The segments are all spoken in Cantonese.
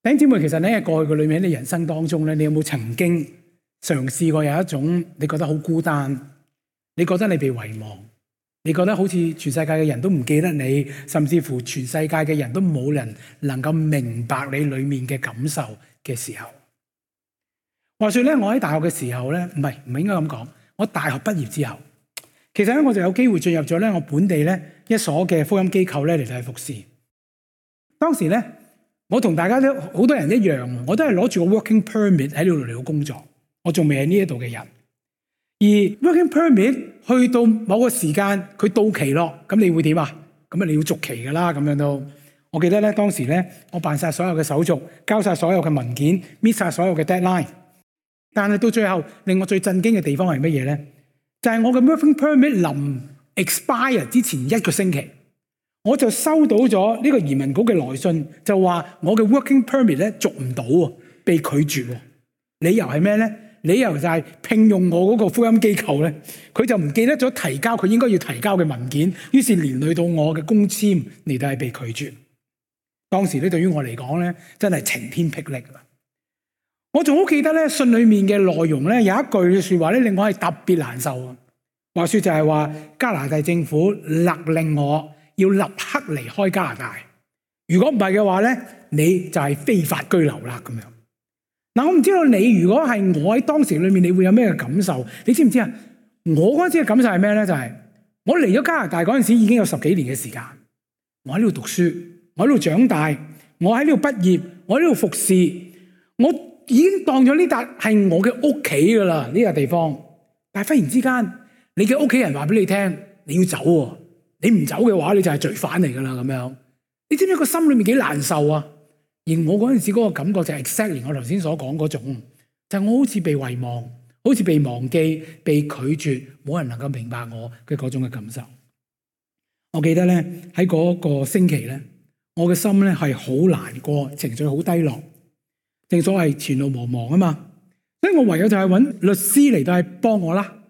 弟兄姊妹，其實咧過去嘅裏面，你人生當中咧，你有冇曾經嘗試過有一種你覺得好孤單，你覺得你被遺忘，你覺得好似全世界嘅人都唔記得你，甚至乎全世界嘅人都冇人能夠明白你裏面嘅感受嘅時候？話說咧，我喺大學嘅時候咧，唔係應該咁講，我大學畢業之後，其實咧我就有機會進入咗咧我本地咧一所嘅福音機構咧嚟到去服侍。當時咧，我同大家都好多人一樣，我都係攞住個 working permit 喺呢度嚟到工作，我仲未係呢一度嘅人。而 working permit 去到某個時間佢到期咯，咁你會點啊？咁你要續期噶啦，咁樣都。我記得咧當時咧，我辦晒所有嘅手續，交晒所有嘅文件，meet晒所有嘅 deadline。但係到最後令我最震驚嘅地方係乜嘢咧？就係我嘅 working permit 臨 expire 之前1個星期，我就收到咗呢個移民局嘅來信，就話我嘅 working permit 咧續唔到喎，被拒絕喎。理由係咩咧？理由就係聘用我嗰個福音機構咧，佢就唔記得咗提交佢應該要提交嘅文件，於是連累到我嘅工簽嚟到係被拒絕。當時咧對於我嚟講咧，真係晴天霹靂啊！我仲好記得咧信裏面嘅內容咧，有一句嘅說話咧令我係特別難受啊。話說就係話加拿大政府勒令我要立刻離開加拿大，如果唔係嘅話咧，你就係非法居留啦咁樣。嗱，我唔知道你如果係我喺當時裏面，你會有咩嘅感受？你知唔知啊？我嗰陣時嘅感受係咩咧？就係我嚟咗加拿大嗰陣時已經有10幾年嘅時間，我喺呢度讀書，我喺度長大，我喺呢度畢業，我喺呢度服侍，我已經當咗呢笪係我嘅屋企噶啦，呢個地方。但係忽然之間，你嘅屋企人話俾你聽，你要走喎，你唔走嘅話，你就係罪犯嚟噶啦咁樣。你知唔知個心裏面幾難受啊？而我嗰陣時嗰個感覺就係 exactly 我頭先所講嗰種，就係我好似被遺忘，好似被忘記、被拒絕，冇人能夠明白我嘅嗰種嘅感受。我記得咧喺嗰個星期咧，我嘅心咧係好難過，情緒好低落。正所謂前路茫茫啊嘛，所以我唯有就係揾律師嚟到係幫我啦。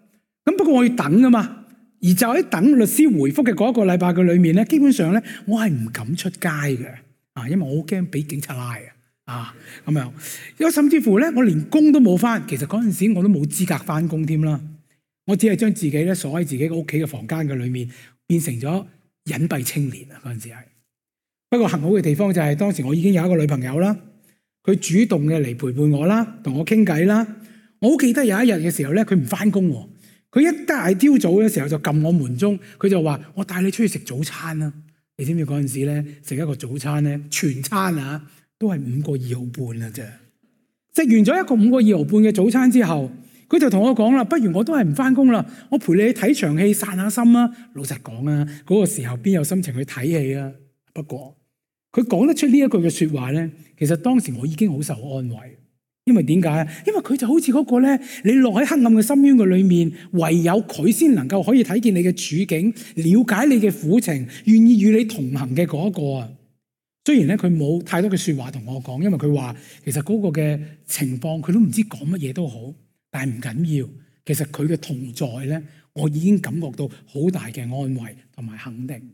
咁不過我要等啊嘛，而就喺等律師回覆嘅嗰1個禮拜嘅裏面咧，基本上咧我係唔敢出街嘅。因為我好驚俾警察拉咁樣，因為甚至乎咧，我連工都冇返。其實嗰陣時我都冇資格返工添啦。我只係將自己咧鎖喺自己屋企嘅房間嘅裏面，變成咗隱蔽青年啊！嗰陣時係。不過幸好嘅地方就係當時我已經有一個女朋友啦，佢主動嘅嚟陪伴我啦，同我傾偈啦。我好記得有一日嘅時候咧，佢唔返工喎，佢一大朝早嘅時候就撳我門鐘，佢就話：我帶你出去食早餐啦。你知唔知嗰陣時咧食一個早餐咧全餐都係5個2毫半啊啫！食完咗一個5個2毫半嘅早餐之後，佢就同我講啦：不如我都係唔返工啦，我陪你睇場戲散下心啊！老實講啊，嗰個時候邊有心情去睇戲啊？不過佢講得出呢一句嘅說話咧，其實當時我已經好受安慰。因為點解啊？因為佢就好似嗰個咧，你落喺黑暗嘅深淵嘅裏面，唯有佢先能夠可以睇見你嘅處境，了解你嘅苦情，願意與你同行嘅嗰一個啊。雖然咧佢冇太多嘅說話同我講，因為佢話其實嗰個嘅情況佢都唔知講乜嘢都好，但係唔緊要。其實佢嘅同在咧，我已經感覺到好大嘅安慰同埋肯定。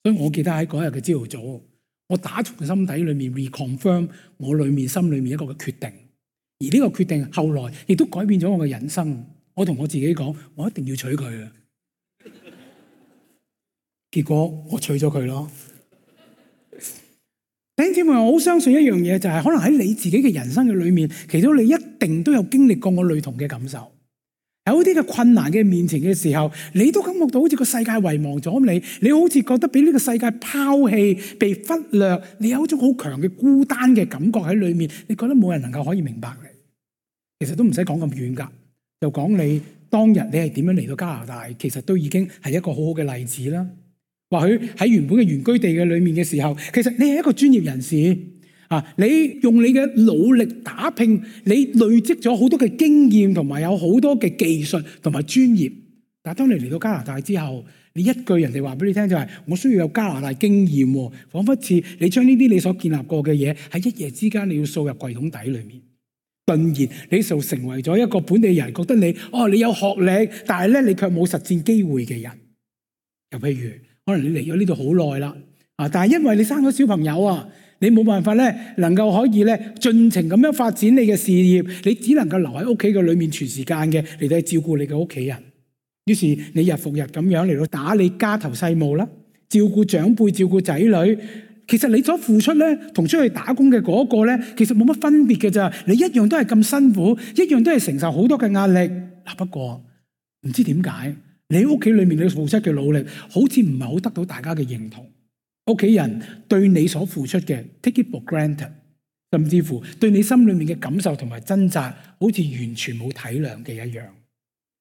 所以我記得喺嗰日嘅朝頭早，我打從心底裏面 reconfirm 我裏面心裏面一個嘅決定。而呢個決定後來亦都改變咗我嘅人生。我同我自己講，我一定要娶佢啊！結果我娶咗佢咯。弟兄姊妹，我好相信一樣嘢，就係可能喺你自己嘅人生嘅裏面，其實你一定都有經歷過我類同嘅感受。有啲嘅困難嘅面前嘅時候，你都感覺到好似個世界遺忘咗你，你好似覺得俾呢個世界拋棄、被忽略，你有一種好強嘅孤單嘅感覺喺裏面，你覺得冇人能夠可以明白你。其實都唔使講咁遠噶，就講你當日你係點樣嚟到加拿大，其實都已經係一個好好嘅例子啦。或許喺原本嘅原居地嘅裏面嘅時候，其實你係一個專業人士你用你嘅努力打拼，你累積咗好多嘅經驗，同埋有好多嘅技術同埋專業。但係當你嚟到加拿大之後，你一句人哋話俾你聽就係我需要有加拿大經驗，仿佛似你將呢啲你所建立過嘅嘢喺一夜之間你要掃入櫃桶底裏面。頓然你就成為咗一個本地人，覺得你你有學歷，但係咧你卻冇實戰機會嘅人。又譬如可能你嚟咗呢度好耐啦，但係因為你生咗小朋友你冇辦法咧能夠可以咧盡情咁樣發展你嘅事業，你只能夠留喺屋企嘅裏面全時間嘅嚟到照顧你嘅屋企人。於是你日復日咁樣嚟到打理家頭細務啦，照顧長輩、照顧仔女。其實你所付出咧，同出去打工嘅嗰個咧，其實冇乜分別嘅咋。你一樣都係咁辛苦，一樣都係承受好多嘅壓力。嗱，不過唔知點解，你屋企裏面你付出嘅努力，好似唔係好得到大家嘅認同。屋企人對你所付出嘅 take it for granted， 甚至乎對你心裏面嘅感受同埋掙扎，好似完全冇體諒嘅一樣。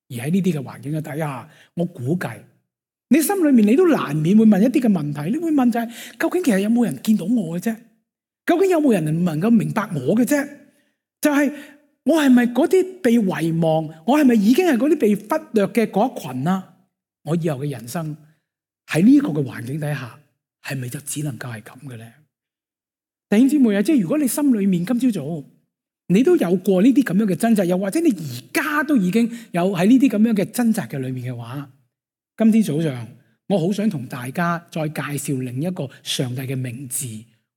而喺呢啲嘅環境嘅底下，我估計你心裏面你都難免會問一啲嘅問題，你會問就係究竟其實有冇人見到我嘅啫？究竟有冇人能夠明白我嘅啫？就係我係咪嗰啲被遺忘？我係咪已經係嗰啲被忽略嘅嗰一群啊？我以後嘅人生喺呢個嘅環境底下，係咪就只能夠係咁嘅咧？弟兄姊妹啊，即係如果你心裏面今朝早你都有過呢啲咁樣嘅掙扎，又或者你而家都已經有喺呢啲咁樣嘅掙扎嘅裏面嘅話，今天早上我好想同大家再介紹另一個上帝嘅名字，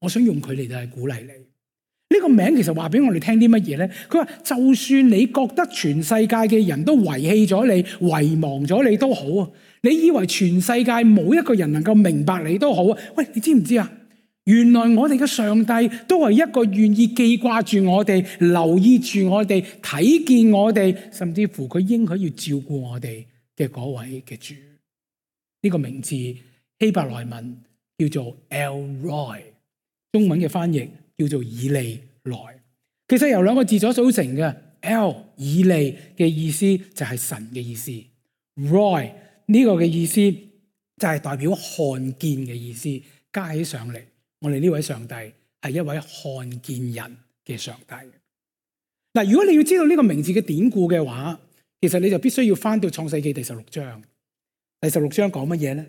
我想用佢嚟到係鼓勵你。呢個名其實話俾我哋聽啲乜嘢咧？佢話就算你覺得全世界嘅人都遺棄咗你、遺忘咗你都好啊，你以為全世界冇一個人能夠明白你都好啊。喂，你知唔知啊？原來我哋嘅上帝都係一個願意記掛住我哋、留意住我哋、睇見我哋，甚至乎佢應許要照顧我哋嘅嗰位嘅主。呢個名字希伯來文叫做 El Roi， 中文嘅翻譯叫做以利來。其實由兩個字所組成嘅 El 以利嘅意思就係神嘅意思， Roi 呢個嘅意思就係代表看見嘅意思，加起上嚟，我哋呢位上帝係一位看見人嘅上帝。嗱，如果你要知道呢個名字嘅典故嘅話，其實你就必須要翻到創世記第16章。第16章講乜嘢咧？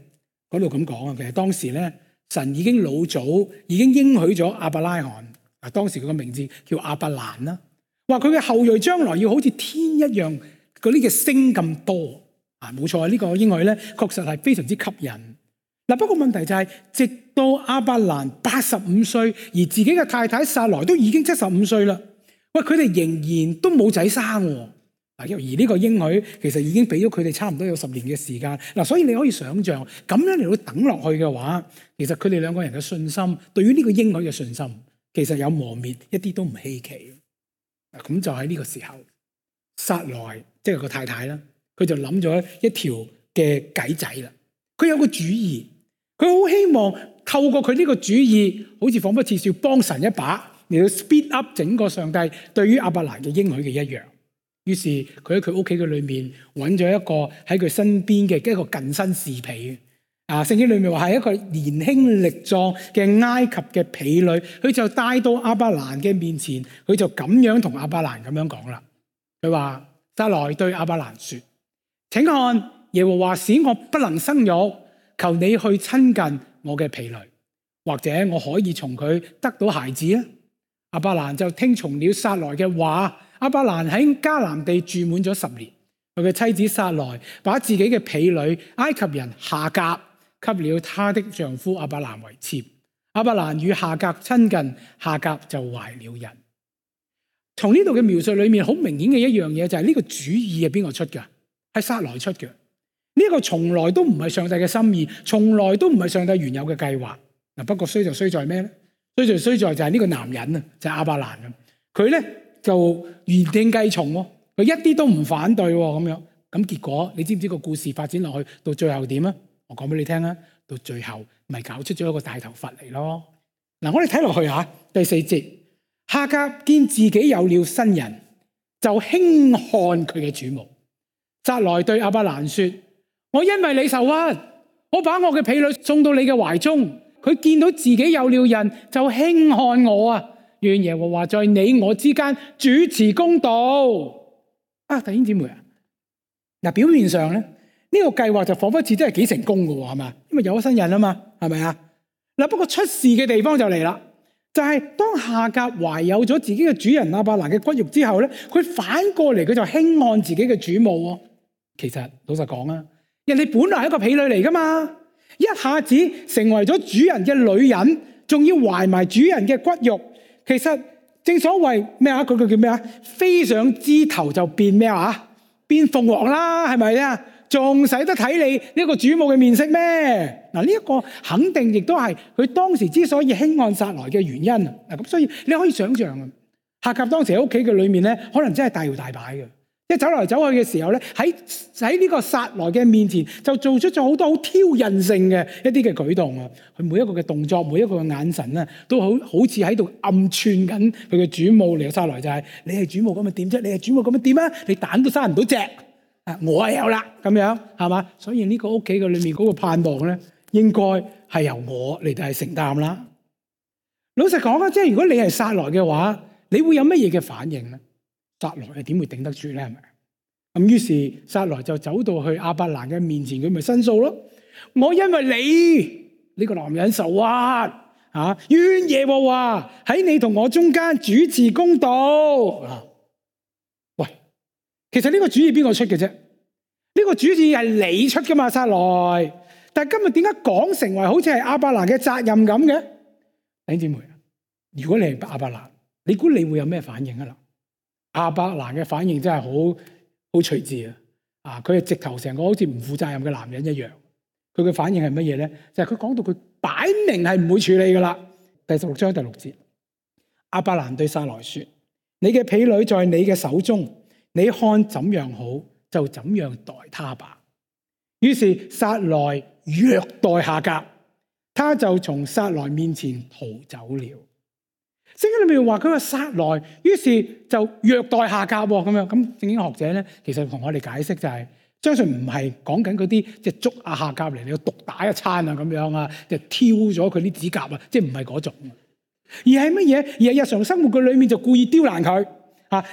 嗰度咁講啊，其實當時咧，神已經老早已經應許咗亞伯拉罕，啊，當時佢個名字叫亞伯蘭啦，話佢嘅後裔將來要好似天一樣嗰啲嘅星咁多啊，冇錯，呢個應許咧確實係非常之吸引。嗱，不過問題就係，直到亞伯蘭85歲，而自己嘅太太撒萊都已經75歲啦，喂，佢哋仍然都冇仔生喎。而呢個應許其實已經俾咗佢哋差唔多有10年嘅時間。嗱，所以你可以想象咁樣嚟到等落去嘅話，其實佢哋兩個人嘅信心，對於呢個應許嘅信心，其實有磨滅，一啲都唔稀奇。咁就喺呢個時候，撒萊即係個太太啦，佢就諗咗一條嘅計仔啦。佢有個主意，佢好希望透過佢呢個主意，好似彷彿似要幫神一把，嚟到 speed up 整個上帝對於亞伯蘭嘅應許嘅一樣。於是佢喺佢屋企嘅裏面揾咗一個喺佢身邊嘅一個近身侍婢。聖經裏面話係一個年輕力壯嘅埃及嘅婢女，佢就帶到亞伯蘭嘅面前，佢就咁樣同亞伯蘭咁樣講啦。佢話：撒萊對亞伯蘭說，請看，耶和華使我不能生育，求你去親近我嘅婢女，或者我可以從佢得到孩子啊。亞伯蘭就聽從了撒萊嘅話。亞伯蘭喺迦南地住滿咗10年，佢嘅妻子撒萊把自己嘅婢女埃及人夏甲給了他的丈夫亞伯蘭為妾。亞伯蘭與夏甲親近，夏甲就懷了孕。從呢度嘅描述裏面，好明顯嘅一樣嘢就係呢個主意係邊個出㗎？係撒萊出嘅。呢個從來都唔係上帝嘅心意，從來都唔係上帝原有嘅計劃。不過衰就衰在咩咧？衰在就係呢個男人啊，就係亞伯蘭啊，佢咧就言聽計從喎，佢一啲都唔反對喎，咁樣咁結果你知唔知個故事發展落去到最後點啊？我講俾你聽啊，到最後咪搞出咗一個大頭佛嚟咯。嗱，我哋睇落去嚇第4節，夏甲見自己有了新人，就輕看佢嘅主母。撒萊對亞伯蘭說：我因為你受屈，我把我嘅婢女送到你嘅懷中，佢見到自己有了人，就輕看我啊！願耶和華在你我之間主持公道。啊，弟兄姊妹啊，嗱，表面上咧呢個計劃就彷彿似真係幾成功嘅喎，係嘛？因為有咗新人啊嘛，係咪啊？嗱，不過出事嘅地方就嚟啦，就係當夏甲懷有咗自己嘅主人亞伯蘭嘅骨肉之後咧，佢反過嚟佢就輕看自己嘅主母喎。其實老實講啊，人哋本來係一個婢女嚟噶嘛，一下子成為咗主人嘅女人，仲要懷埋主人嘅骨肉。其實正所謂咩啊？嗰句叫咩啊？飛上枝頭就變咩啊？變鳳凰啦，係咪啊？仲使得睇你呢個主母嘅面色咩？嗱，呢一個肯定亦都係佢當時之所以輕看撒萊嘅原因啊！咁所以你可以想象啊，夏甲當時喺屋企嘅裏面咧，可能真係大搖大擺嘅，即係走嚟走去嘅時候咧，喺呢個撒萊嘅面前就做出咗好多好挑釁性嘅一啲嘅舉動啊！佢每一個嘅動作，每一個嘅眼神咧，都好似喺度暗串緊佢嘅主母嚟。撒萊就係你係主母咁咪點啫？你係主母咁咪點啊？你蛋都生唔到隻。我係有啦，咁樣係嘛？所以呢個屋企嘅裏面嗰個盼望咧，應該係由我嚟到係承擔啦。老實講啊，即係如果你係撒萊嘅話，你會有乜嘢嘅反應咧？撒萊係點會頂得住咧？係咪？咁於是撒萊就走到去亞伯蘭嘅面前，佢咪申訴咯。我因為你呢個男人受屈啊，願耶和華喺你同我中間主持公道。其實呢個主意邊個出嘅啫？呢個主意係你出噶嘛，撒萊。但係今日點解講成為好似係亞伯蘭嘅責任咁嘅？弟兄姊妹，如果你係亞伯蘭，你估你會有咩反應啊？亞伯蘭嘅反應真係好隨智啊！佢係直頭成個好似唔負責任嘅男人一樣。佢嘅反應係乜嘢咧？就係佢講到佢擺明係唔會處理噶啦。第16章第6節，亞伯蘭對撒萊說：你嘅婢女在你嘅手中。你看怎樣好就怎樣待他吧。於是撒萊虐待夏甲，他就從撒萊面前逃走了。聖經裏面話佢話撒萊，於是就虐待夏甲咁樣。咁聖經學者咧，其實同我哋解釋就係，相信唔係講緊嗰啲即係捉夏甲嚟你要毒打一餐啊咁樣啊，就挑咗佢啲指甲啊，即係唔係嗰種，而係乜嘢？而係日常生活嘅裏面就故意刁難佢。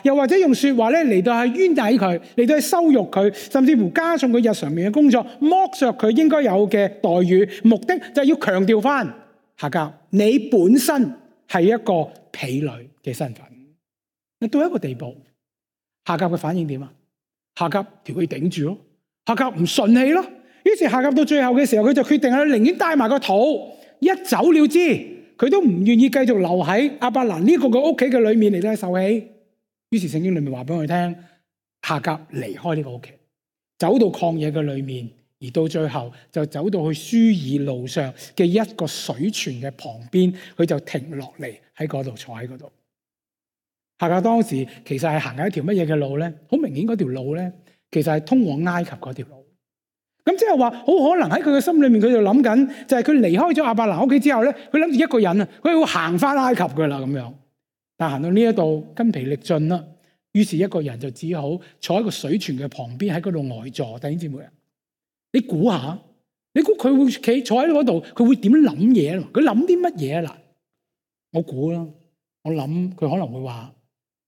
又或者用說話咧嚟到係冤枉佢，嚟到係羞辱佢，甚至乎加重佢日常面嘅工作，剝削佢應該有嘅待遇，目的就係要強調翻夏甲，你本身係一個婢女嘅身份。到一個地步，夏甲嘅反應點啊？夏甲條氣頂住咯，夏甲唔順氣咯。於是夏甲到最後嘅時候，佢就決定啊，寧願帶埋個肚一走了之，佢都唔願意繼續留喺亞伯蘭呢個嘅屋企嘅裏面嚟到受氣。於是聖經裏面話俾我哋聽，夏甲離開呢個屋企，走到曠野嘅裏面，而到最後就走到去書珥路上嘅一個水泉嘅旁邊，佢就停落嚟喺嗰度坐喺嗰度。夏甲當時其實係行緊一條乜嘢嘅路咧？好明顯嗰條路咧，其實係通往埃及嗰條路。咁即係話，好可能喺佢嘅心裏面，佢就諗緊，就係佢離開咗亞伯蘭屋企之後咧，佢諗住一個人啊，佢會行翻埃及噶啦咁樣。但行到呢一度筋疲力盡啦，於是一個人就只好坐喺個水泉嘅旁邊喺嗰度呆坐。弟兄姊妹啊，你估下，你估佢會企坐喺嗰度，佢會點諗嘢？佢諗啲乜嘢啊？嗱，我估啦，我諗佢可能會話：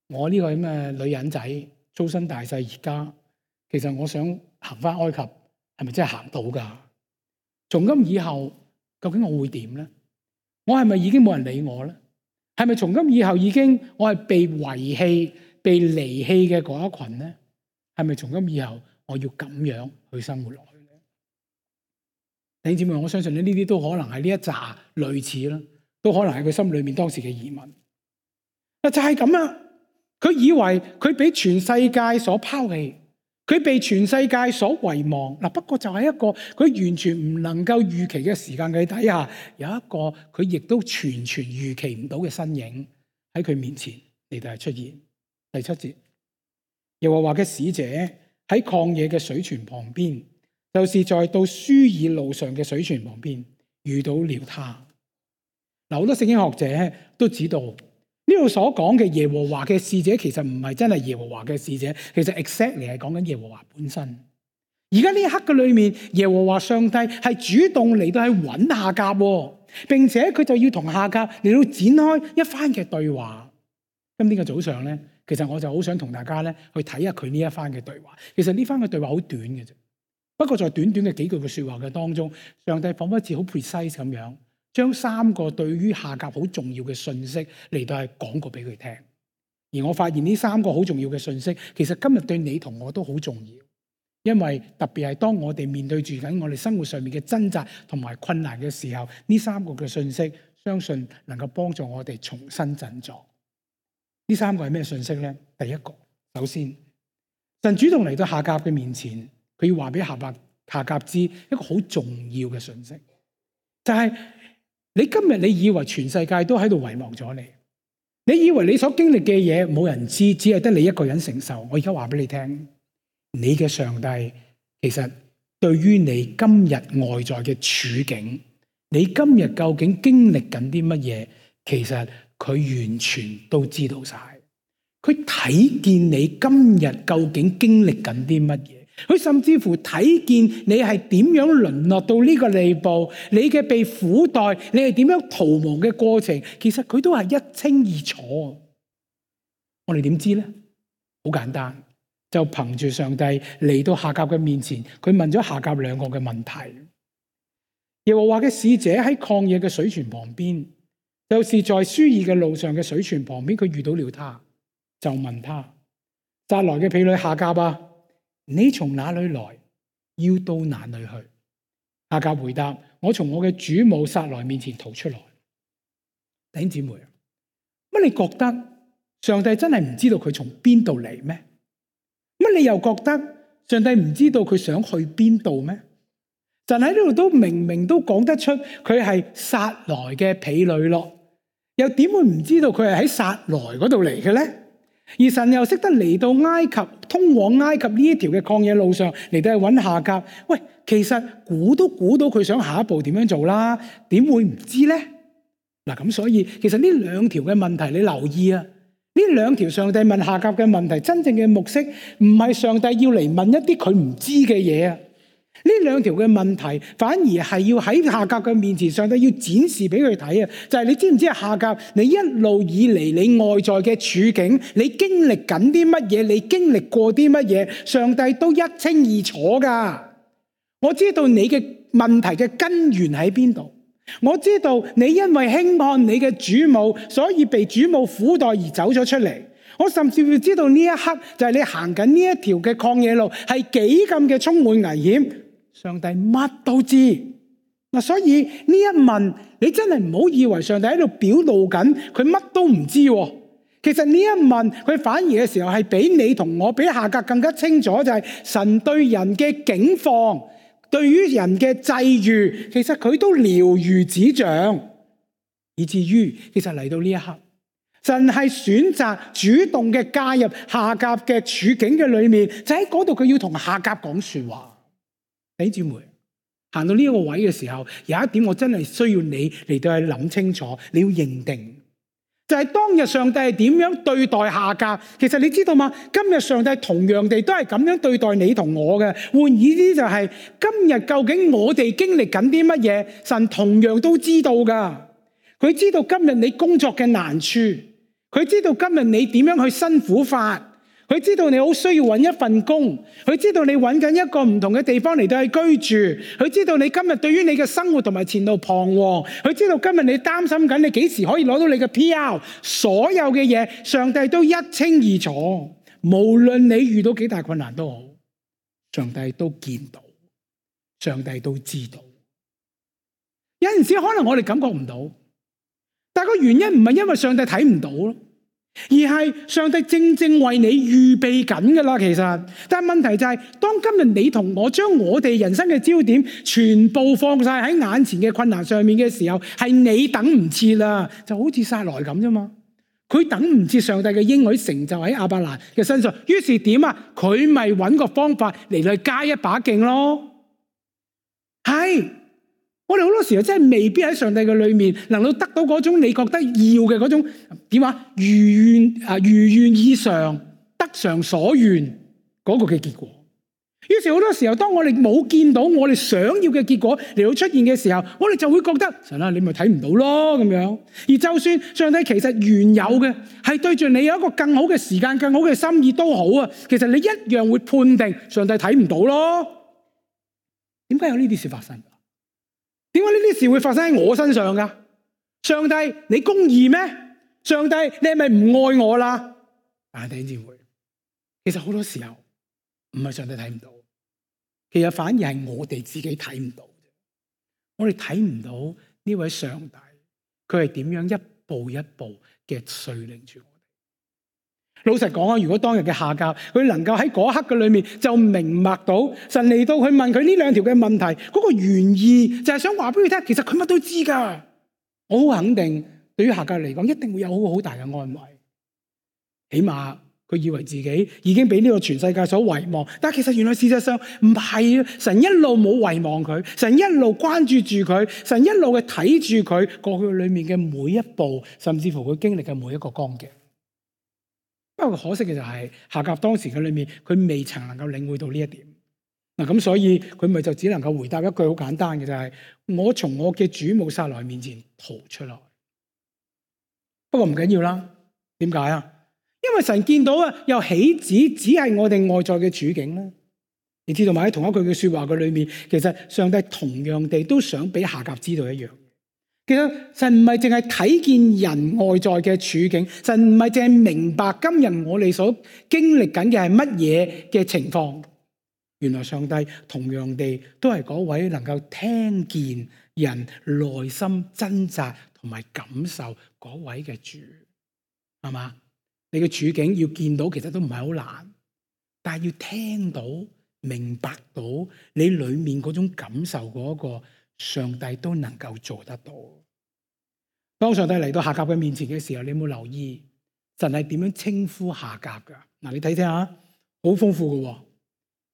我呢個咁嘅女人仔，粗身大細而家，其實我想行翻埃及，係咪真係行到噶？從今以後，究竟我會點咧？我係咪已經冇人理我咧？係咪從今以後已經我係被遺棄、被離棄嘅嗰一群咧？係咪從今以後我要咁樣去生活落去咧？弟兄姊妹，我相信呢啲都可能係呢一紮類似啦，都可能係佢心裏面當時嘅疑問。就係咁啊！佢以為佢俾全世界所拋棄，佢被全世界所遺忘。嗱，不過就係一個佢完全唔能夠預期嘅時間嘅底下，有一個佢亦都完全預期唔到嘅身影喺佢面前嚟到係出現。第7節，耶和華嘅使者喺曠野嘅水泉旁邊，就是在到書珥路上嘅水泉旁邊遇到了他。嗱，好多聖經學者都知道呢度所講嘅耶和華嘅使者，其實唔係真係耶和華嘅使者，其實 exactly 係講緊耶和華本身。而家呢一刻嘅裏面，耶和華上帝係主動嚟到去揾夏甲，並且佢就要同夏甲嚟到展開一番嘅對話。今天嘅早上咧，其實我就好想同大家咧去睇下佢呢一番嘅對話。其實呢番嘅對話好短嘅啫，不過在短短嘅幾句嘅說話嘅當中，上帝仿佛似好 precise 咁樣，將3個對於夏甲好重要嘅信息嚟到係講過俾佢聽。而我發現呢3個好重要嘅信息，其實今日對你同我都好重要，因為特別係當我哋面對住緊我哋生活上面嘅掙扎同埋困難嘅時候，呢3個嘅信息相信能夠幫助我哋重新振作。呢三個係咩信息呢？第一個，首先神主動嚟到夏甲嘅面前，佢要話俾夏甲知一個好重要嘅信息，就係你今日你以為全世界都喺度遺忘咗你，你以為你所經歷嘅嘢冇人知，只係得你一個人承受。我而家話俾你聽，你嘅上帝其實對於你今日外在嘅處境，你今日究竟經歷緊啲乜嘢，其實佢完全都知道晒。佢睇見你今日究竟經歷緊啲乜嘢，佢甚至乎睇見你係點樣淪落到呢個地步，你嘅被苦待，你係點樣逃亡嘅過程，其實佢都係一清二楚。我哋點知呢？好簡單，就憑住上帝嚟到夏甲嘅面前，佢問咗夏甲兩個嘅問題。耶和華嘅使者喺曠野嘅水泉旁邊，就是在書珥嘅路上嘅水泉旁邊，佢遇到了他，就問他：撒萊嘅婢女夏甲啊，你從哪裏來？要到哪裏去？夏甲回答：我從我嘅主母撒萊面前逃出來。弟兄姊妹，乜你覺得上帝真係唔知道佢從邊度嚟咩？乜你又覺得上帝唔知道佢想去邊度咩？神喺呢度都明明都講得出佢係撒萊嘅婢女咯，又點會唔知道佢係喺撒萊嗰度嚟嘅咧？而神又識得嚟到埃及，通往埃及呢一條嘅曠野路上嚟到去揾夏甲。喂，其實估都估到佢想下一步點樣做啦，點會唔知咧？嗱，咁所以其實呢兩條嘅問題你留意啊，呢兩條上帝問夏甲嘅問題，真正嘅目的唔係上帝要嚟問一啲佢唔知嘅嘢啊。呢兩條嘅問題反而係要喺夏甲嘅面前，上帝要展示俾佢睇啊！就係你知唔知啊？夏甲，你一路以嚟你外在嘅處境，你經歷緊啲乜嘢？你經歷過啲乜嘢？上帝都一清二楚噶。我知道你嘅問題嘅根源喺邊度。我知道你因為輕看你嘅主母，所以被主母苦待而走咗出嚟。我甚至會知道呢一刻就係你行緊呢一條嘅曠野路係幾咁嘅充滿危險。上帝乜都知嗱，所以呢一問你真係唔好以為上帝喺度表露緊佢乜都唔知。其實呢一問佢反而嘅時候係比你同我比夏甲更加清楚，就係神對人嘅境況，對於人嘅際遇，其實佢都了如指掌，以至於其實嚟到呢一刻，神係選擇主動嘅介入夏甲嘅處境嘅裏面，就喺嗰度佢要同夏甲講說話。弟兄姊妹，行到呢個位嘅時候，有一點我真係需要你嚟到去諗清楚，你要認定，就係當日上帝係點樣對待夏甲。其實你知道嗎？今日上帝同樣地都係咁樣對待你同我嘅。換言之就係今日究竟我哋經歷緊啲乜嘢，神同樣都知道噶。佢知道今日你工作嘅難處，佢知道今日你點樣去辛苦法。佢知道你好需要揾一份工，佢知道你揾緊一個唔同嘅地方嚟到去居住，佢知道你今日對於你嘅生活同埋前路彷徨，佢知道今日你擔心緊你幾時可以攞到你嘅 PR， 所有嘅嘢上帝都一清二楚，無論你遇到幾大困難都好，上帝都見到，上帝都知道。有陣時可能我哋感覺唔到，但係個原因唔係因為上帝睇唔到咯，而係上帝正正為你預備緊噶啦，其實。但係問題就係，當今日你同我將我哋人生嘅焦點全部放晒喺眼前嘅困難上面嘅時候，係你等唔切啦，就好似撒萊咁啫嘛。佢等唔切上帝嘅應許成就喺亞伯蘭嘅身上，於是點啊？佢咪揾個方法嚟去加一把勁咯。係。我哋好多時候真係未必喺上帝嘅裏面能夠得到嗰種你覺得要嘅嗰種點啊，如願以償，得償所願嗰個嘅結果。於是好多時候當我哋冇見到我哋想要嘅結果嚟到出現嘅時候，我哋就會覺得神啊，你咪睇唔到咯咁樣。而就算上帝其實原有嘅係對住你有一個更好嘅時間、更好嘅心意都好啊，其實你一樣會判定上帝睇唔到咯。點解有呢啲事發生？點解呢啲事會發生喺我身上噶？上帝，你公義咩？上帝，你係咪唔愛我啦？弟兄姊妹，其實好多時候唔係上帝睇唔到，其實反而係我哋自己睇唔到。我哋睇唔到呢位上帝佢係點樣一步一步嘅率領住我哋。老實講啊，如果當日嘅夏甲佢能夠喺嗰刻嘅裏面就明白到神嚟到去問佢呢兩條嘅問題，嗰個原意就係想話俾佢聽，其實佢乜都知噶。我好肯定，對於夏甲嚟講，一定會有好大嘅安慰。起碼佢以為自己已經俾呢個全世界所遺忘，但其實原來事實上唔係啊！神一路冇遺忘佢，神一路關注住佢，神一路嘅睇住佢過去裏面嘅每一步，甚至乎佢經歷嘅每一個光景。不過可惜嘅就係夏甲當時嘅裏面，佢未曾能夠領會到呢一點。嗱，咁所以佢咪就只能夠回答一句好簡單嘅，就係我從我嘅主母撒萊面前逃出來。不過唔緊要啦，點解啊？因為神見到啊，又豈止只係我哋外在嘅處境咧？你知道嘛？喺同一句嘅說話嘅裏面，其實上帝同樣地都想俾夏甲知道一樣。其實神唔係淨係睇見人外在嘅處境，神唔係淨係明白今日我哋所經歷緊嘅係乜嘢嘅情況。原來上帝同樣地都係嗰位能夠聽見人內心掙扎同埋感受嗰位嘅主，係嘛？你嘅處境要見到，其實都唔係好難，但係要聽到、明白到你裏面嗰種感受嗰個，上帝都能夠做得到。當上帝嚟到夏甲嘅面前嘅時候，你有冇留意神係點樣稱呼夏甲噶？嗱，你睇睇下，好豐富噶。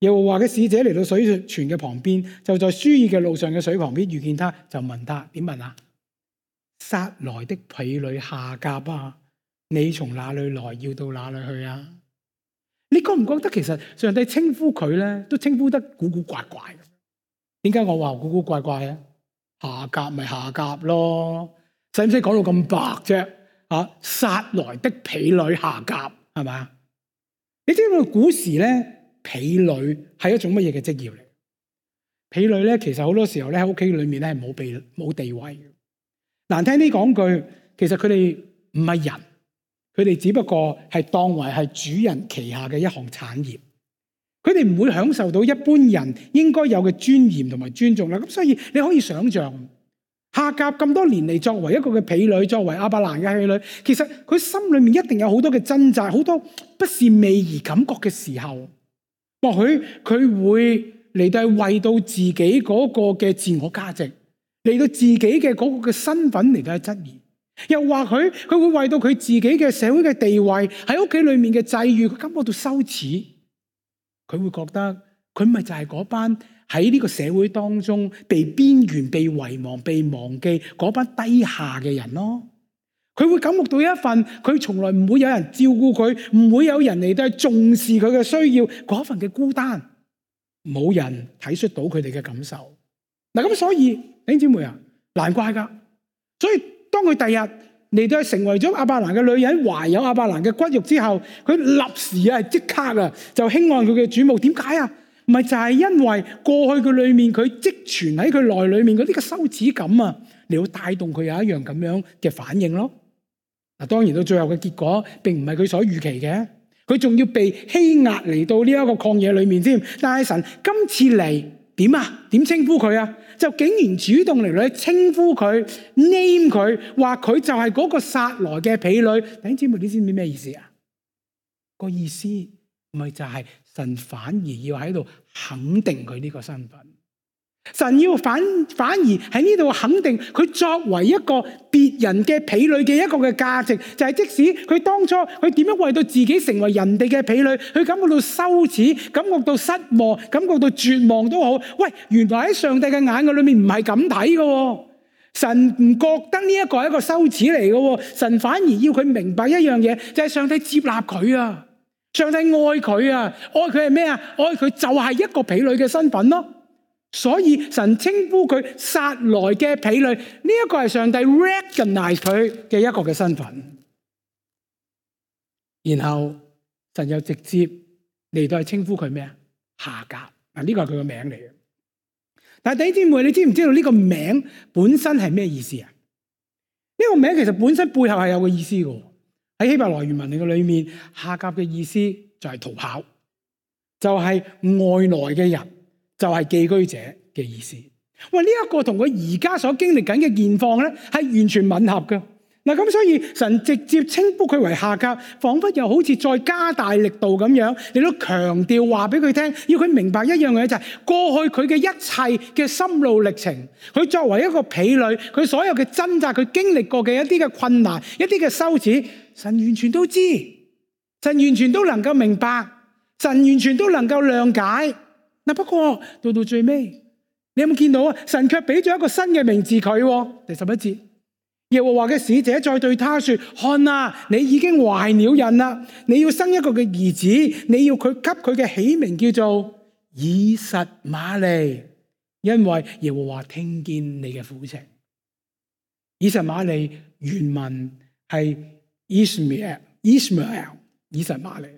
耶和華嘅使者嚟到水泉嘅旁邊，就在舒爾嘅路上嘅水旁邊遇見他，就問他，點問啊？撒來的婢女夏甲啊，你從哪裏來，要到哪裏去啊？你覺唔覺得其實上帝稱呼佢咧，都稱呼得古古怪怪？點解我話古古怪怪啊？夏甲咪夏甲咯，使唔使講到咁白啫？啊，撒來的婢女夏甲係咪？你知唔知古時咧，婢女係一種乜嘢嘅職業嚟？婢女咧，其實好多時候咧喺屋企裏面咧係冇地位嘅。難聽啲講句，其實佢哋唔係人，佢哋只不過係當為係主人旗下嘅一項產業。佢哋唔會享受到一般人應該有嘅尊嚴同埋尊重啦。咁所以你可以想象，夏甲咁多年嚟作為一個嘅婢女，作為亞伯蘭嘅婢女，其實佢心裏面一定有好多嘅掙扎，好多不是味兒感覺嘅時候。或許佢會嚟到為到自己嗰個嘅自我價值，嚟到自己嘅嗰個嘅身份嚟到去質疑，又或許佢會為到佢自己嘅社會嘅地位，喺屋企裏面嘅際遇，佢感覺到羞恥。佢會覺得佢咪就係嗰班喺呢個社會當中被邊緣、被遺忘、被忘記嗰班低下嘅人咯。佢會感覺到一份佢從來唔會有人照顧佢，唔會有人嚟到重視佢嘅需要嗰份嘅孤單，冇人體恤到佢哋嘅感受。嗱，咁所以弟兄姊妹啊，難怪噶。所以當佢第日嚟到成為咗亞伯蘭嘅女人，懷有亞伯蘭嘅骨肉之後，佢立時啊即刻啊就輕愛佢嘅主母。點解啊？唔係就係因為過去佢裏面佢積存喺佢內裏面嗰啲嘅羞恥感啊，嚟到帶動佢有一樣咁樣嘅反應咯。嗱，當然到最後嘅結果，並唔係佢所預期嘅，佢仲要被欺壓嚟到呢一個曠野裏面添。但係神今次嚟點啊？點稱呼佢啊？就竟然主動嚟稱呼佢 ，name 佢，話佢就係嗰個撒來嘅婢女。弟兄姊妹，你知唔知咩意思啊？個意思咪就係神反而要喺度肯定佢呢個身份。神要反而喺呢度肯定佢作為一個別人嘅婢女嘅一個嘅價值，就係即使佢當初佢點樣為到自己成為人哋嘅婢女，佢感覺到羞恥，感覺到失望，感覺到絕望都好。喂，原來喺上帝嘅眼嘅裏面唔係咁睇嘅，神唔覺得呢一個係一個羞恥嚟嘅，神反而要佢明白一樣嘢，就係上帝接納佢啊，上帝愛佢啊，愛佢係咩啊？愛佢就係一個婢女嘅身份咯。所以神稱呼佢撒來嘅婢女，呢一個係上帝 recognize 佢嘅一個嘅身份。然後神又直接嚟到係稱呼佢咩啊？夏甲。嗱，呢個係佢個名嚟嘅。但係弟兄姊妹，你知唔知道呢個名本身係咩意思啊？呢個名其實本身背後係有個意思嘅。喺希伯來原文嘅裏面，夏甲嘅意思就係逃跑，就係外來嘅人。就係寄居者嘅意思。喂，呢一個同佢而家所經歷緊嘅現況咧，係完全吻合嘅。嗱，咁所以神直接稱呼佢為夏甲，彷彿又好似再加大力度咁樣，你都強調話俾佢聽，要佢明白一樣嘢就係過去佢嘅一切嘅心路歷程，佢作為一個婢女，佢所有嘅掙扎，佢經歷過嘅一啲嘅困難，一啲嘅羞恥，神完全都知，神完全都能夠明白，神完全都能夠諒解。嗱，不過到最尾，你有冇見到啊？神卻俾咗一個新嘅名字佢，第11節。耶和華嘅使者再對他說：看啊，你已經懷了孕啦，你要生一個嘅兒子，你要佢給佢嘅起名叫做以實瑪利，因為耶和華聽見你嘅苦情。以實瑪利原文係 Ishmael， 以實瑪利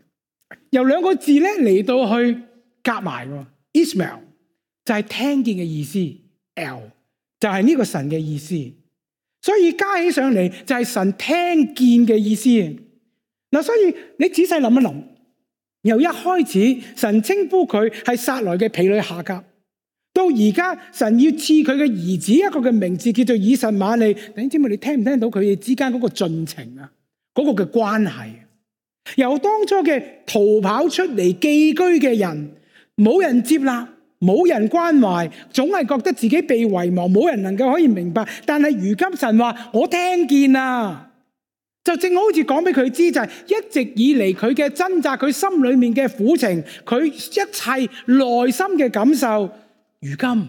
由兩個字咧嚟到去夾埋喎。Ishmael 就係聽見嘅意思 ，L 就係呢個神嘅意思。所以加起上嚟就係神聽見嘅意思。嗱，所以你仔細諗一諗，由一開始神稱呼佢係撒萊嘅婢女夏甲，到而家神要賜佢嘅兒子一個嘅名字叫做以實瑪利。弟兄姊妹，你聽唔聽到佢哋之間嗰個進程啊？嗰個嘅關係，由當初嘅逃跑出嚟寄居嘅人，冇人接納，冇人關懷，總係覺得自己被遺忘，冇人能夠可以明白。但係如今神話我聽見啦，就正好似講俾佢知，就係一直以嚟佢嘅掙扎，佢心裏面嘅苦情，佢一切內心嘅感受，如今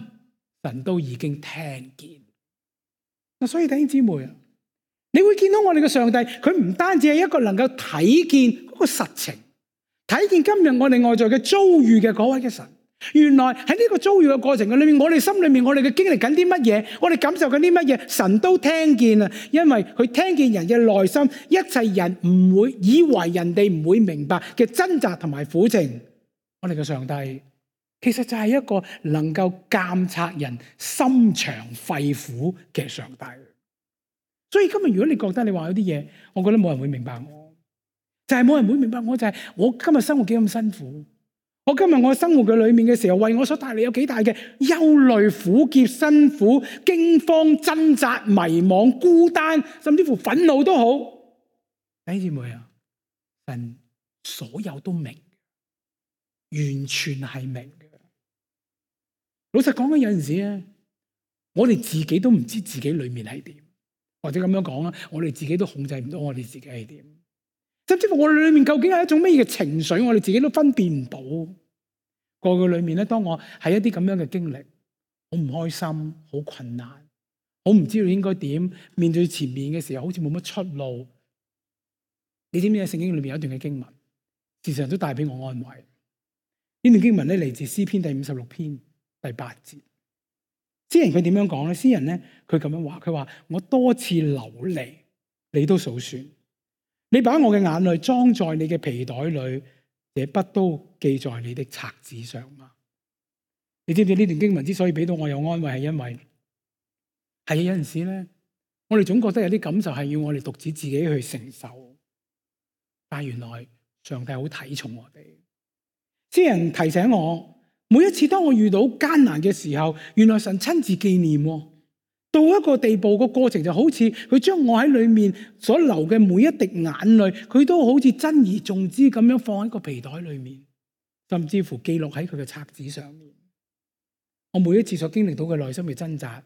神都已經聽見。嗱，所以弟兄姊妹啊，你會見到我哋嘅上帝，佢唔單止係一個能夠睇見嗰個實情，睇見今日我哋外在嘅遭遇嘅嗰位嘅神。原來喺呢個遭遇嘅過程嘅裏面，我哋心裏面我哋嘅經歷緊啲乜嘢，我哋感受緊啲乜嘢，神都聽見啊！因為佢聽見人嘅內心，一切人唔會以為人哋唔會明白嘅掙扎同埋苦情。我哋嘅上帝其實就係一個能夠監察人心腸肺腑嘅上帝。所以今日如果你覺得你話有啲嘢，我覺得冇人會明白我，就係冇人會明白我，就係我今日生活幾咁辛苦。我今日我生活嘅裏面嘅時候，為我所帶嚟有幾大嘅憂慮、苦澀、辛苦、驚慌、掙扎、迷惘、孤單，甚至乎憤怒都好。弟兄姊妹啊，神所有都明，完全係明嘅。老實講，有陣時咧，我哋自己都唔知自己裏面係點，或者咁樣講啦，我哋自己都控制唔到我哋自己係點。甚至乎我哋裏面究竟係一種咩嘅情緒，我哋自己都分辨唔到。過去裏面咧，當我係一啲咁樣嘅經歷，好唔開心，好困難，好唔知道應該點面對前面嘅時候，好似冇乜出路。你知唔知喺聖經裏面有一段嘅經文，事實上都帶俾我安慰。呢段經文咧嚟自詩篇第56篇第8節。詩人佢點樣講咧？詩人咧佢咁樣話，佢話我多次流離，你都數算。你把我嘅眼淚裝在你嘅皮袋裏，這筆都記在你的冊子上嗎？你知唔知呢段經文之所以俾到我有安慰，係因為係有陣時咧，我哋總覺得有啲感受係要我哋獨自自己去承受，但係原來上帝好睇重我哋。詩人提醒我，每一次當我遇到艱難嘅時候，原來神親自紀念喎。到一個地步，個過程就好似佢將我喺裏面所流嘅每一滴眼淚，佢都好似珍而重之咁樣放喺個皮袋裏面，甚至乎記錄喺佢嘅冊子上面。我每一次所經歷到嘅內心嘅掙扎，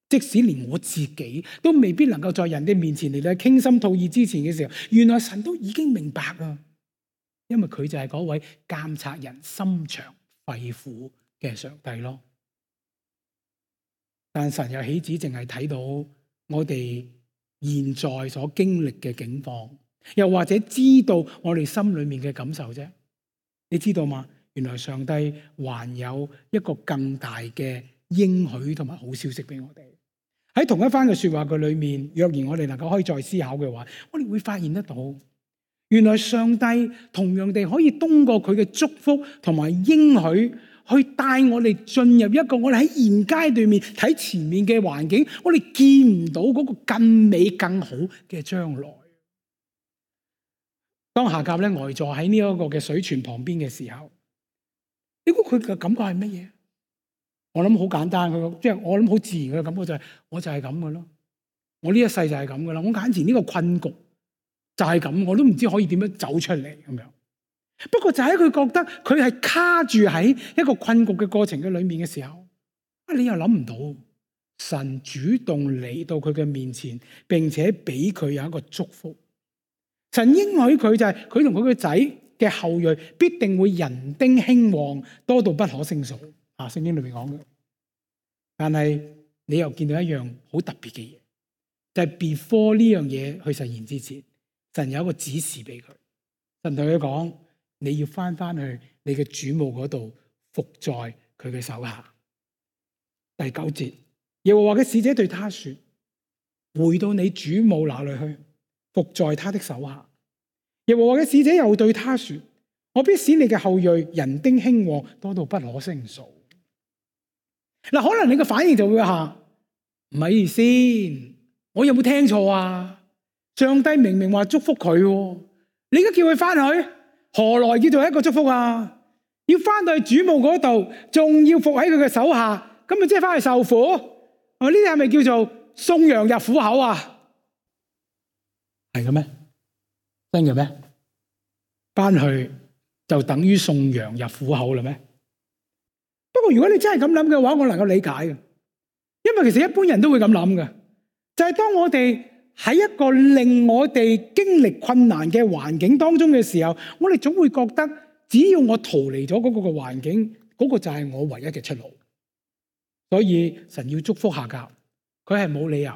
即使連我自己都未必能夠在人哋面前嚟到傾心吐意之前嘅時候，原來神都已經明白啊！因為佢就係嗰位監察人心腸肺腑嘅上帝咯。但神又豈止淨係睇到我哋現在所經歷嘅境況，又或者知道我哋心裏面嘅感受啫？你知道嗎？原來上帝還有一個更大嘅應許同埋好消息俾我哋。喺同一番嘅說話嘅裏面，若然我哋能夠可以再思考嘅話，我哋會發現得到，原來上帝同樣地可以通過佢嘅祝福同埋應許，去帶我哋進入一個我哋喺現階段面睇前面嘅環境，我哋見唔到嗰個更美更好嘅將來。當夏甲咧呆坐喺呢一個嘅水泉旁邊嘅時候，你估佢嘅感覺係乜嘢？我諗好簡單，即係我諗好自然嘅感覺就係，我就係咁嘅咯。我呢一世就係咁嘅啦。我眼前呢個困局就係咁，我都唔知可以點樣走出嚟咁樣。不過就喺佢覺得佢係卡住喺一個困局嘅過程嘅裏面嘅時候，你又諗唔到神主動嚟到佢嘅面前，並且俾佢有一個祝福。神應許佢就係佢同佢個仔嘅後裔必定會人丁興旺，多到不可勝數。聖經裏面講嘅。但係你又見到一樣好特別嘅嘢，就係 before 呢樣嘢去實現之前，神有一個指示俾佢。神同佢講，你要翻去你嘅主母嗰度，服在佢嘅手下。第9節，耶和華嘅使者對他說，回到你主母那裏去，服在他的手下。耶和華嘅使者又對他說，我必使你嘅後裔人丁興旺，多到不可勝數。嗱，可能你嘅反應就會話，唔係先，我有冇聽錯啊？上帝明明話祝福佢，你而家叫佢翻去，何來叫做一個祝福啊？要翻到去主母嗰度，仲要服喺佢嘅手下，咁咪即係翻去受苦？呢啲係咪叫做送羊入虎口啊？係嘅咩？真嘅咩？翻去就等於送羊入虎口啦咩？不過如果你真係咁諗嘅話，我能夠理解嘅，因為其實一般人都會咁諗嘅，就係當我哋喺一個令我哋經歷困難嘅環境當中嘅時候，我哋總會覺得只要我逃離咗嗰個嘅環境，嗰個就係我唯一嘅出路。所以神要祝福夏甲，佢係冇理由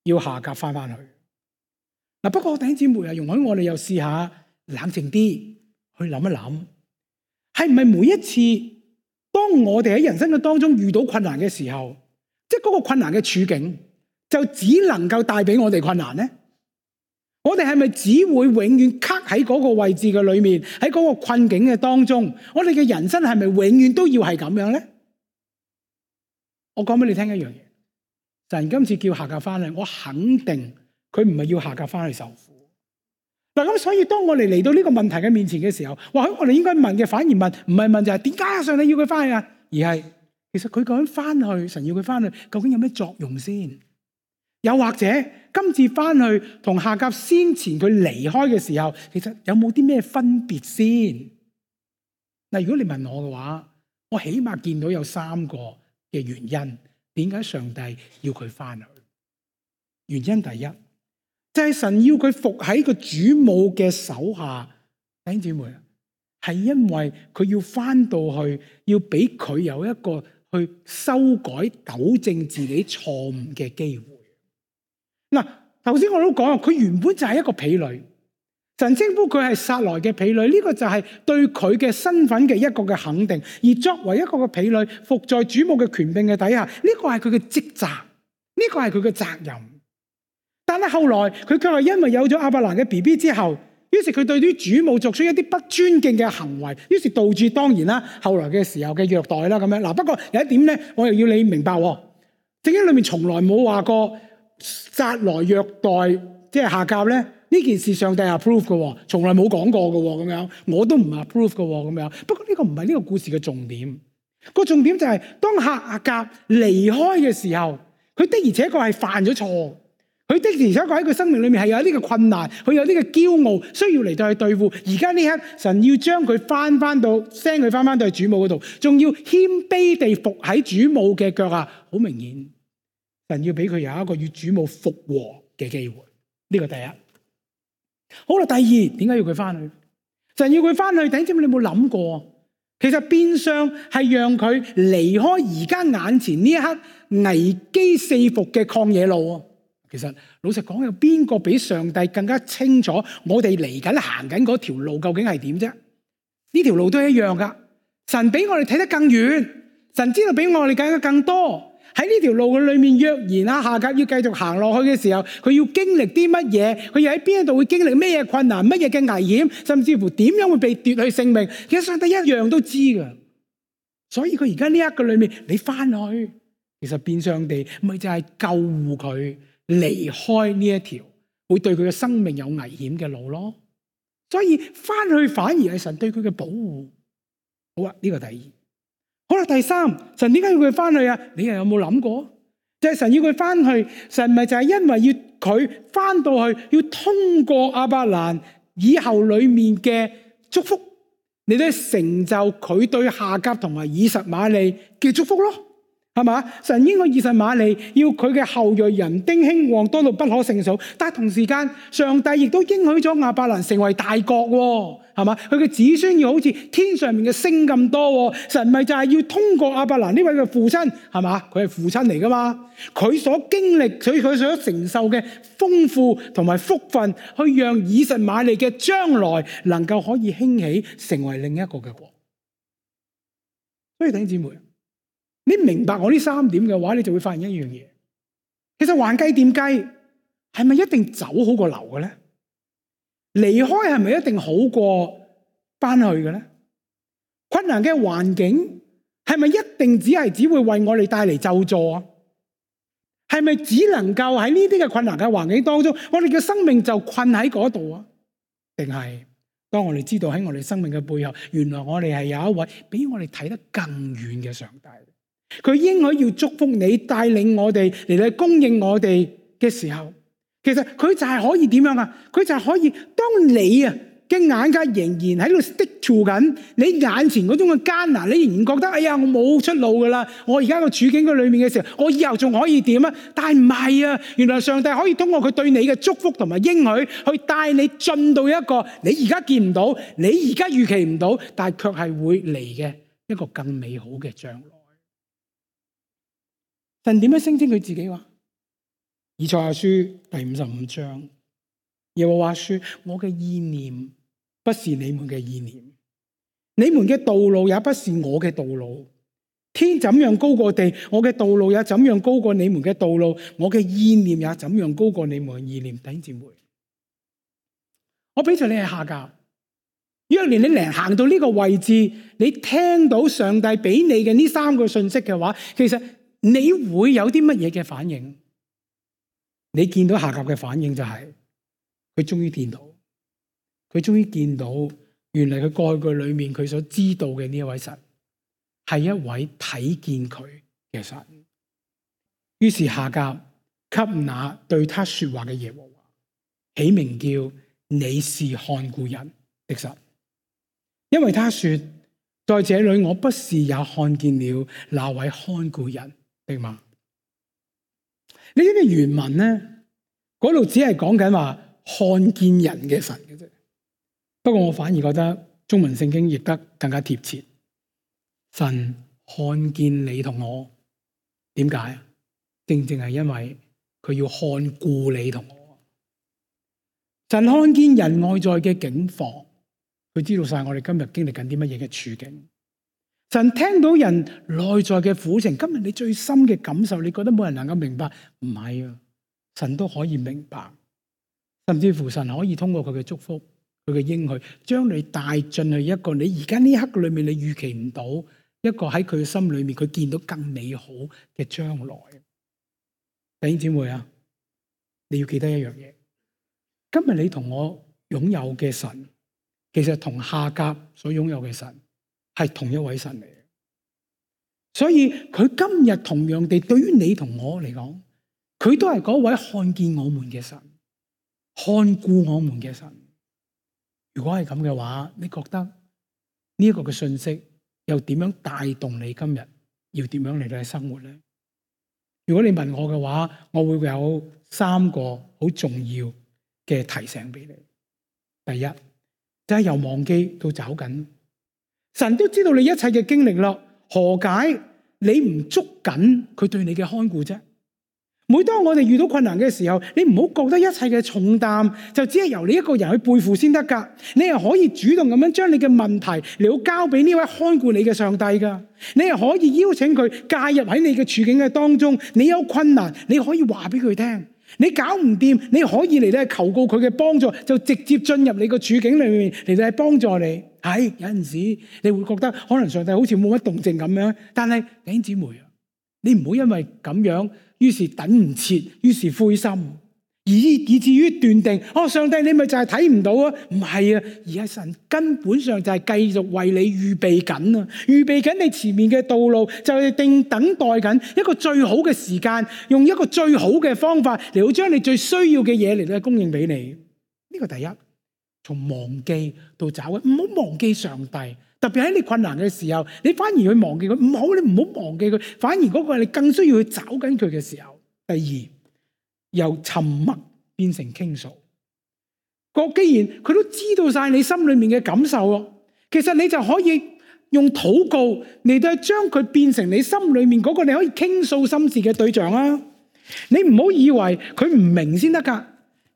要夏甲翻去。不過弟兄姊妹啊，容許我哋又試下冷靜啲去諗一諗，係唔係每一次當我哋喺人生嘅當中遇到困難嘅時候，即係嗰個困難嘅處境就只能夠帶俾我哋困難呢？我哋係咪只會永遠卡喺嗰個位置嘅裏面，喺嗰個困境嘅當中？我哋嘅人生係咪永遠都要係咁樣呢？我講俾你聽一樣嘢，神今次叫夏甲翻嚟，我肯定佢唔係要夏甲翻去受苦。咁所以當我哋嚟到呢個問題嘅面前嘅時候，或許我哋應該問嘅反而問，唔係問就係點解上帝要佢翻去啊？而係其實佢究竟翻去，神要佢翻去，究竟有咩作用先？又或者今次翻去同夏甲先前佢離開嘅時候，其實有冇啲咩分別先？如果你問我嘅話，我起碼見到有3個嘅原因，點解上帝要佢翻去？原因第一，就係神要佢服喺個主母嘅手下。弟兄姊妹，係因為佢要翻到去，要俾佢有一個去修改、糾正自己錯誤嘅機會。頭先我都講，佢原本就係一個婢女，神稱呼佢係撒萊嘅婢女，呢個就係對佢嘅身份嘅一個嘅肯定。而作為一個嘅婢女，服在主母嘅權柄嘅底下，呢個係佢嘅職責，呢個係佢嘅責任。但係後來佢卻係因為有咗亞伯蘭嘅 BB 之後，於是佢對啲主母作出一啲不尊敬嘅行為，於是導致當然啦，後來嘅時候嘅虐待啦咁樣。不過有一點咧，我又要你明白，聖經裏面從來冇話過撒萊虐待即係夏甲咧，呢件事上帝 approve 嘅，從來冇講過嘅咁樣，我都唔 approve 嘅咁樣。不過呢個唔係呢個故事嘅重點，個重點就係當夏甲離開嘅時候，佢的而且確係犯咗錯，佢的而且確喺佢生命裏面係有呢個困難，佢有呢個驕傲，需要嚟到去對付。而家呢刻神要將佢翻到 send 佢翻到去主母嗰度，仲要謙卑地服喺主母嘅腳下，好明顯神要俾佢有一個與主母復和嘅機會。呢個第一。好啦，第二，點解要佢翻去？神要佢翻去，弟兄姊妹，你有冇諗過？其實變相係讓佢離開而家眼前呢一刻危機四伏嘅曠野路。其實老實講，有邊個比上帝更加清楚我哋嚟緊行緊嗰條路究竟係點啫？呢條路都係一樣噶。神比我哋睇得更遠，神知道比我哋睇更多。喺呢條路嘅裏面，若然夏甲要繼續行落去嘅時候，佢要經歷啲乜嘢？佢又喺邊一度會經歷咩嘢困難、乜嘢嘅危險，甚至乎點樣會被奪去性命？其實上帝一樣都知噶。所以佢而家呢一個裏面，你翻去，其實變相地咪就係救護佢離開呢一條會對佢嘅生命有危險嘅路咯。所以翻去反而係神對佢嘅保護。好啊，呢個第二。好啦，第三，神點解要佢翻去啊？你又有冇諗過？就係神要佢翻去，神咪就係因為要佢翻到去，要通過亞伯蘭以後裏面嘅祝福，你都成就佢對夏甲同埋以實瑪利嘅祝福咯，係嘛？神應該以實瑪利要佢嘅後裔人丁興旺，多到不可勝數，但係同時間上帝亦都應許咗亞伯蘭成為大國，係嘛？佢嘅子孫要好似天上面嘅星咁多，神咪就係要通過亞伯蘭呢位嘅父親，係嘛？佢係父親嚟噶嘛？佢所經歷，佢所承受嘅豐富同埋福分，去讓以實瑪利嘅將來能夠可以興起，成為另一個嘅國。所以弟兄姊妹，你明白我呢三點嘅話，你就會發現一樣嘢，其實橫計掂計，係咪一定走好過留嘅咧？離開係咪一定好過翻去嘅咧？困難嘅環境係咪一定只會為我哋帶嚟咒詛啊？係咪只能夠喺呢啲嘅困難嘅環境當中，我哋嘅生命就困喺嗰度啊？定係當我哋知道喺我哋生命嘅背後，原來我哋係有一位比我哋睇得更遠嘅上帝，佢應許要祝福你，帶領我哋嚟到供應我哋嘅時候，其實佢就係可以點樣啊？佢就係可以，當你啊嘅眼界仍然喺度 stick to 緊你眼前嗰種嘅艱難，你仍然覺得哎呀我冇出路噶啦，我而家個處境嘅裏面嘅時候，我以後仲可以點啊？但係唔係啊，原來上帝可以通過佢對你嘅祝福同埋應許，去帶你進到一個你而家見唔到，你而家預期唔到，但係卻係會嚟嘅一個更美好嘅將來。神點樣聲稱佢自己話？以賽亞書第55章，耶和華說：我嘅意念不是你們嘅意念，你們嘅道路也不是我嘅道路。天怎樣高過地，我嘅道路也怎樣高過你們嘅道路，我嘅意念也怎樣高過你們嘅意念。弟兄姊妹，我俾咗你係夏甲，若連你嚟行到呢個位置，你聽到上帝俾你嘅呢三個信息嘅話，其實你會有啲乜嘢嘅反應？你見到夏甲嘅反應就係佢終於見到，佢終於見到原來佢過去裏面佢所知道嘅呢一位神係一位睇見佢嘅神。於是夏甲給那對他說話嘅耶和華起名叫你是看顧人的神，因為他說在這裏我不是也看見了那位看顧人的嗎？你知唔知原文咧嗰度只係講緊話看見人嘅神嘅啫，不過我反而覺得中文聖經譯得更加貼切。神看見你同我，點解？正正係因為佢要看顧你同我。神看見人外在嘅境況，佢知道晒我哋今日經歷緊啲乜嘢嘅處境。神聽到人內在嘅苦情，今日你最深嘅感受，你覺得冇人能夠明白？唔係啊，神都可以明白，甚至乎神可以通過佢嘅祝福、佢嘅應許，將你帶進去一個你而家呢刻裏面你預期唔到一個喺佢嘅心裏面佢見到更美好嘅將來。弟兄姊妹啊，你要記得一樣嘢，今日你同我擁有嘅神，其實同夏甲所擁有嘅神係同一位神嚟嘅，所以佢今日同樣地對於你同我嚟講，佢都係嗰位看見我們嘅神，看顧我們嘅神。如果係咁嘅話，你覺得呢一個嘅信息又點樣帶動你今日要點樣嚟到生活呢？如果你問我嘅話，我會有3個好重要嘅提醒俾你。第一，就係由忘記到找緊。神都知道你一切嘅經歷咯，何解你唔捉緊佢對你嘅看顧啫？每當我哋遇到困難嘅時候，你唔好覺得一切嘅重擔就只係由你一個人去背負先得噶，你係可以主動咁樣將你嘅問題嚟到交俾呢位看顧你嘅上帝噶，你係可以邀請佢介入喺你嘅處境嘅當中，你有困難你可以話俾佢聽，你搞唔掂你可以嚟咧求告佢嘅幫助，就直接進入你個處境裏面嚟到幫助你。係有陣時你會覺得可能上帝好似冇乜動靜咁樣，但係弟兄姊妹啊，你唔好因為咁樣於是等唔切，於是灰心，以至於斷定，上帝你咪就係睇唔到啊？唔係啊，而係神根本上就係繼續為你預備緊啊，預備緊你前面嘅道路，就係等待緊一個最好嘅時間，用一個最好嘅方法嚟到將你最需要嘅嘢嚟到供應俾你。呢個第一，從忘記到找緊，唔好忘記上帝。特別喺你困難嘅時候，你反而去忘記佢，唔好，你唔好忘記佢，反而嗰個係你更需要去找緊佢嘅時候。第二，由沉默變成傾訴。既然佢都知道晒你心裏面嘅感受，其實你就可以用禱告嚟到將佢變成你心裏面嗰個你可以傾訴心事嘅對象啊！你唔好以為佢唔明先得噶，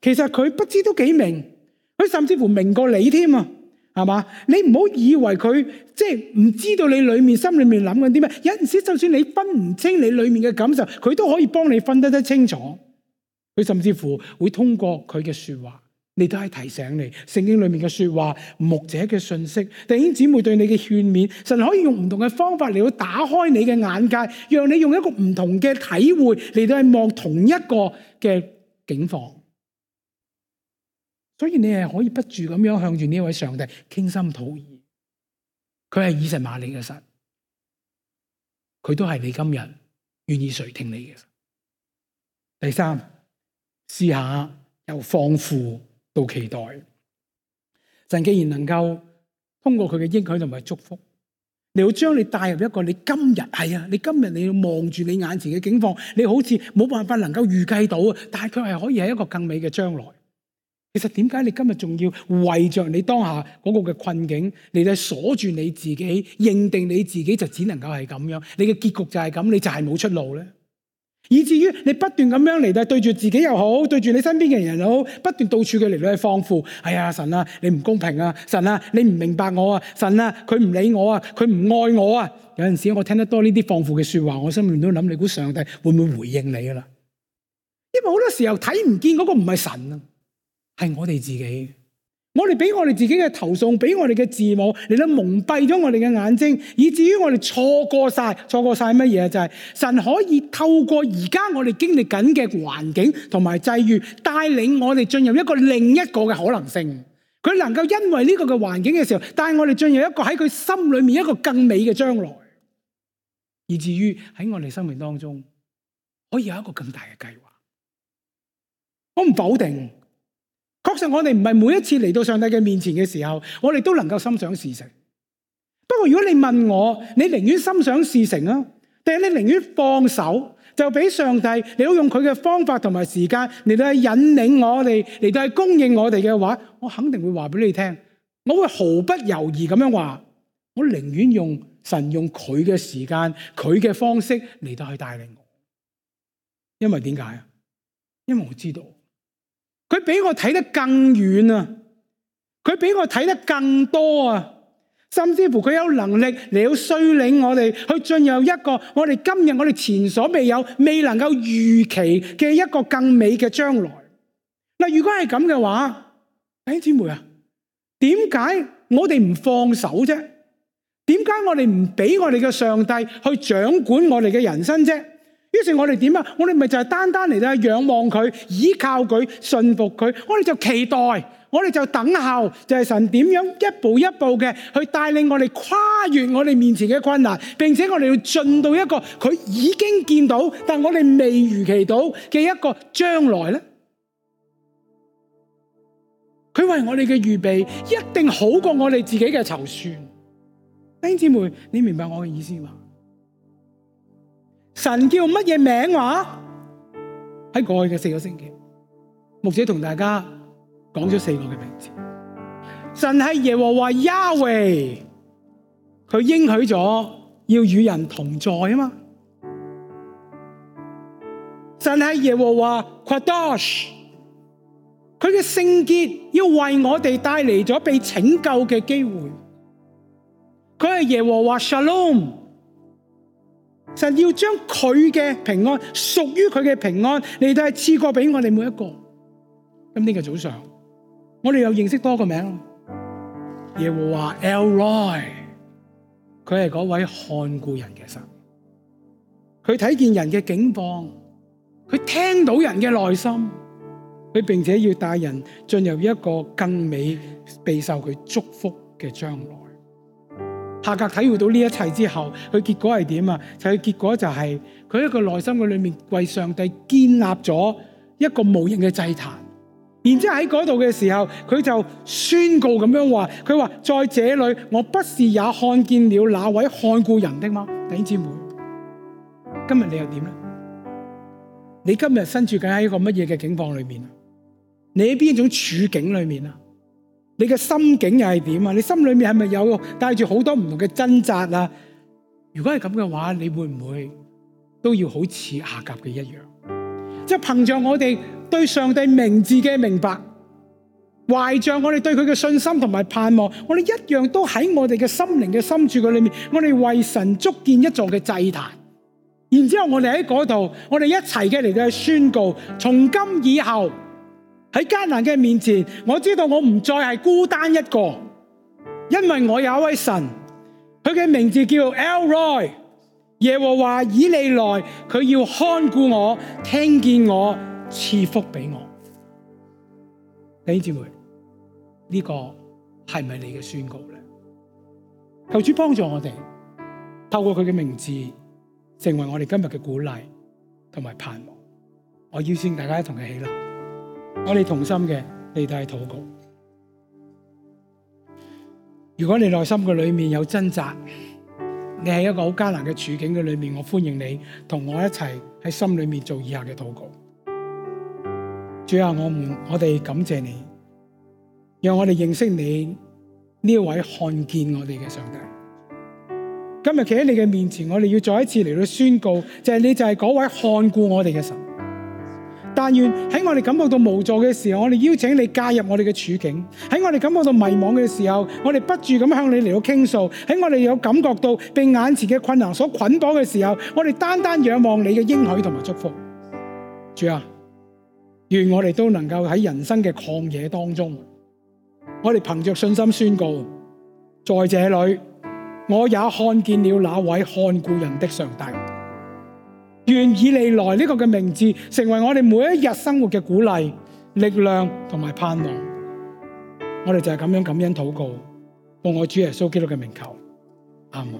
其實佢不知都幾明，佢甚至乎明過你添啊，係嘛？你唔好以為佢即係唔知道你裏面心裏面諗緊啲咩，有陣時就算你分唔清你裏面嘅感受，佢都可以幫你分得清楚。佢甚至乎會通過佢嘅說話，你都係提醒你聖經裏面嘅說話、牧者嘅信息、弟兄姊妹對你嘅勸勉，神可以用唔同嘅方法嚟到打開你嘅眼界，讓你用一個唔同嘅體會嚟到去望同一個嘅境況。所以你係可以不住咁樣向住呢位上帝傾心吐意，佢係以實瑪利嘅神，佢都係你今日願意垂聽你嘅神。第三，試下由放負到期待。神既然能夠通過佢嘅應許同埋祝福，你要將你帶入一個你今日你要望住你眼前嘅境況，你好似冇辦法能夠預計到，但係佢係可以係一個更美嘅將來。其實點解你今日仲要為着你當下嗰個嘅困境，你就鎖住你自己，認定你自己就只能夠係咁樣，你嘅結局就係咁，你就係冇出路咧？以至於你不斷咁樣嚟到對住自己又好，對住你身邊嘅人又好，不斷到處嘅嚟到去放負。哎呀，神啊，你唔公平啊！神啊，你唔明白我啊！神啊，佢唔理我啊！佢唔愛我啊！有陣時我聽得多呢啲放負嘅說話，我心裏面都諗，你估上帝會唔會回應你噶啦？因為好多時候睇唔見嗰個唔係神啊，係我哋自己。我哋俾我哋自己嘅投訴，俾我哋嘅字母嚟到蒙蔽咗我哋嘅眼睛，以至於我哋錯過晒乜嘢？就係神可以透過而家我哋經歷緊嘅環境同埋際遇，帶領我哋進入一個另一個嘅可能性。佢能夠因為呢個嘅環境嘅時候，帶我哋進入一個喺佢心裏面一個更美嘅將來，以至於喺我哋生命當中可以有一個更大嘅計劃。我唔否定。確實我哋唔係每一次嚟到上帝嘅面前嘅時候，我哋都能夠心想事成。不過如果你問我，你寧願心想事成啊，定係你寧願放手，就俾上帝你要用佢嘅方法同埋時間嚟到去引領我哋，嚟到去供應我哋嘅話，我肯定會話俾你聽，我會毫不猶豫咁樣話，我寧願用神用佢嘅時間、佢嘅方式嚟到去帶領我。因為點解啊？因為我知道。佢比我睇得更遠啊！佢比我睇得更多啊！甚至乎佢有能力嚟到率領我哋去進入一個我哋今日我哋前所未有、未能夠預期嘅一個更美嘅將來。嗱，如果係咁嘅話，弟兄姊妹啊，點解我哋唔放手啫？點解我哋唔俾我哋嘅上帝去掌管我哋嘅人生啫？於是我哋點啊？我哋咪就係單單嚟到仰望佢、依靠佢、信服佢。我哋就期待，我哋就等候，就係神點樣一步一步嘅去帶領我哋跨越我哋面前嘅困難，並且我哋要進到一個佢已經見到，但我哋未預期到嘅一個將來咧。佢為我哋嘅預備一定好過我哋自己嘅籌算。弟兄姊妹，你明白我嘅意思嘛？神叫乜嘢名話？喺過去嘅4個星期，牧者同大家講咗4個嘅名字。神係耶和華亞維，佢應許咗要與人同在啊嘛。神係耶和華 Kadosh， 佢嘅聖潔要為我哋帶嚟咗被拯救嘅機會。佢係耶和華 Shalom。神要將佢嘅平安，屬於佢嘅平安嚟到係賜過俾我哋每一個。咁呢個早上，我哋又認識多個名，耶和華 El Roi， 佢係嗰位看顧人嘅神，佢睇見人嘅境況，佢聽到人嘅內心，佢並且要帶人進入一個更美備受佢祝福嘅將來。夏甲體會到呢一切之後，佢結果係點啊？佢結果就係佢一個內心嘅裏面為上帝建立咗一個無形嘅祭壇。然之後喺嗰度嘅時候，佢就宣告咁樣話：佢話在這裏，我不是也看見了那位看顧人的嗎？弟兄姊妹，今日你又點咧？你今日身處緊喺一個乜嘢嘅境況裏面啊？你喺邊一種處境裏面啊？你嘅心境又係點啊？你心裏面係咪有帶住好多唔同嘅掙扎啊？如果係咁嘅話，你會唔會都要好似夏甲嘅一樣？即係憑着我哋對上帝名字嘅明白，懷着我哋對佢嘅信心同埋盼望，我哋一樣都喺我哋嘅心靈嘅深處嘅裏面，我哋為神築建一座嘅祭壇。然之後我哋喺嗰度，我哋一齊嘅嚟到去宣告，從今以後喺艱難嘅面前，我知道我唔再係孤單一個，因為我有一位神，佢嘅名字叫 El Roi， 耶和華以利來，佢要看顧我，聽見我，賜福俾我。弟兄姊妹，呢個係咪你嘅宣告咧？求主幫助我哋，透過佢嘅名字，成為我哋今日嘅鼓勵同埋盼望。我邀請大家一同嘅起立，我哋同心嘅嚟到去禱告。如果你內心嘅裏面有掙扎，你喺一個好艱難嘅處境嘅裏面，我歡迎你同我一齊喺心裏面做以下嘅禱告。主啊，我哋感謝你，讓我哋認識你呢位看見我哋嘅上帝。今日企喺你嘅面前，我哋要再一次嚟到宣告，就係你就係嗰位看顧我哋嘅神。但願喺我哋感覺到無助嘅時候，我哋邀請你介入我哋嘅處境；喺我哋感覺到迷惘嘅時候，我哋不住咁向你嚟到傾訴；喺我哋有感覺到被眼前嘅困難所捆綁嘅時候，我哋單單仰望你嘅應許同埋祝福。主啊，願我哋都能夠喺人生嘅曠野當中，我哋憑着信心宣告，在這裏我也看見了那位看顧人的上帝。願以利來呢個嘅名字成為我哋每一日生活嘅鼓勵、力量同埋盼望。我哋就係咁樣感恩禱告，奉我主耶穌基督嘅名求，阿門。